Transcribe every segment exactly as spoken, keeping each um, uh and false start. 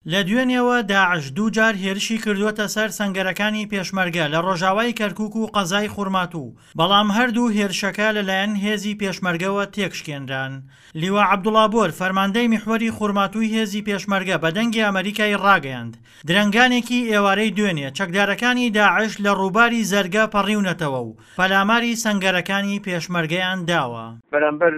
لە دوێنێوە داعش دوو جار هێرشی کردووەتە سەر سەنگەرەکانی پێشمەرگە لە ڕۆژاوای کەرکوک و قەزای خورماتوو، بەڵام هەردوو هێرشەکە لەلایەن هێزی پێشمەرگەوە تێکشکێنران. لیوا عەبدوڵا بۆر، فەرماندەی میحوەری خورماتووی هێزی پێشمەرگە بە دەنگی ئەمەریکای ڕاگەیاند، درەنگانێکی ئێوارەی دوێنێ چەکدارەکانی داعش لە ڕووباری زەرگە پەڕیونەتەوە و پەلاماری سەنگەرەکانی پێشمەرگەیان داوە. بەرامبەر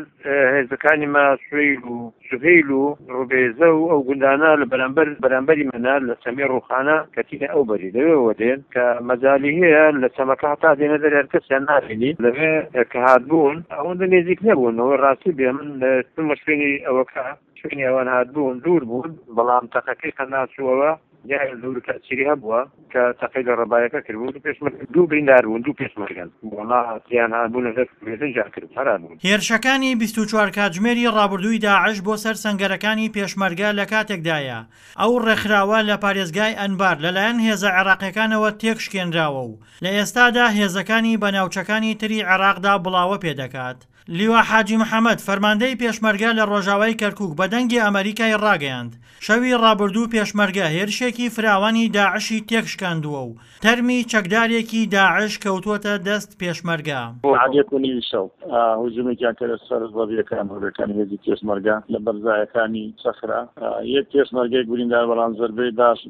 هێزەکانی ما سویل و سهیل و ڕوبێزە و ئەو گوندانە لە بەرامبەر بەرامبەری منە لە چەمی ڕوخانە کەتینە ئەو بەری لەوێوە دێن کە مەجالی هەیە لە چەمەکە هەتا دێنە دەر هەر کەسیان نابینی لەوێ کە هاتبوون ئەوەندە نێزیک نەبوون. ئەوە ڕاستی بێ من چوومە شوێنی ئەوەکە شوێنی ئەوان هاتبوون دوور بوون، بەڵام تەقەکەی قەناسووەوە دیارە زۆر تەئسیری هەبووە کە تەقەی لە ڕەبایەکە کردبوو. دوو پێشمەرگە دوو بریندار بوون، دوو پێشمەرگەن وەڵا تیان هاتبوون لەسەر بێدەنگیان کرد هەرا بوون. هێرشەکانی بیست و چوار کاتژمێری ڕابردووی داعش بۆ سەر سەنگەرەکانی پێشمەرگە لە کاتێکدایە ئەو ڕێکخراوە لە پارێزگای ئەنبار لەلایەن هێزە عێراقیەکانەوە تێکشکێنراوە و لە ئێستادا هێزەکانی بە ناوچەکانی تری عێراقدا بڵاوە پێدەکات. لیوا حاجی محەمەد، فەرماندەی پێشمەرگە لە ڕۆژاوای کەرکوک بە دەنگی ئەمەریکای ڕاگەیاند، شەوی ڕابردوو پێشمەرگە هێرشێکی فراوانی داعشی تێکشکاندووە و تەرمی چەکدارێکی داعش کەوتووەتە دەست پێشمەرگە. سەعات یەک و نیوی شەو هجومێکیان کردە سەر زەوییەکان هۆبەکانی هێزی پێشمەرگە لە بەرزایەکانی سەخرە، یەک پێشمەرگەیەک بریندار بەڵام زەربەی باش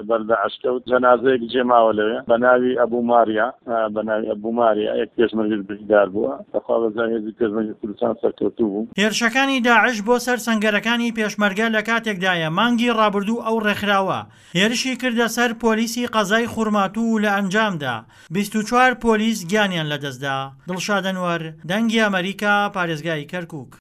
بەر داعش کەوت، جەنازەیەک جێماوە لەوێ بە ناوی ئەبوو ماریا بە ناوی ئەبوو ماریا یەک پێشمەرگەش بریندار بووە. بەخوا بەزای هێزی پێشمەرگەی کوردستان سەرکەوتوو بوو. هێرشەکانی داعش بۆ سەر سەنگەرەکانی پێشمەرگە لە کاتێکدایە مانگی ڕابردوو ئەو ڕێکخراوە هێرشی کردە سەر پۆلیسی قەزای خورماتوو و لە ئەنجامدا بیست و چوار پۆلیس گیانیان لەدەستدا. دڵشاد ئەنوەر، دەنگی ئەمەریکا، پارێزگای کەرکوک.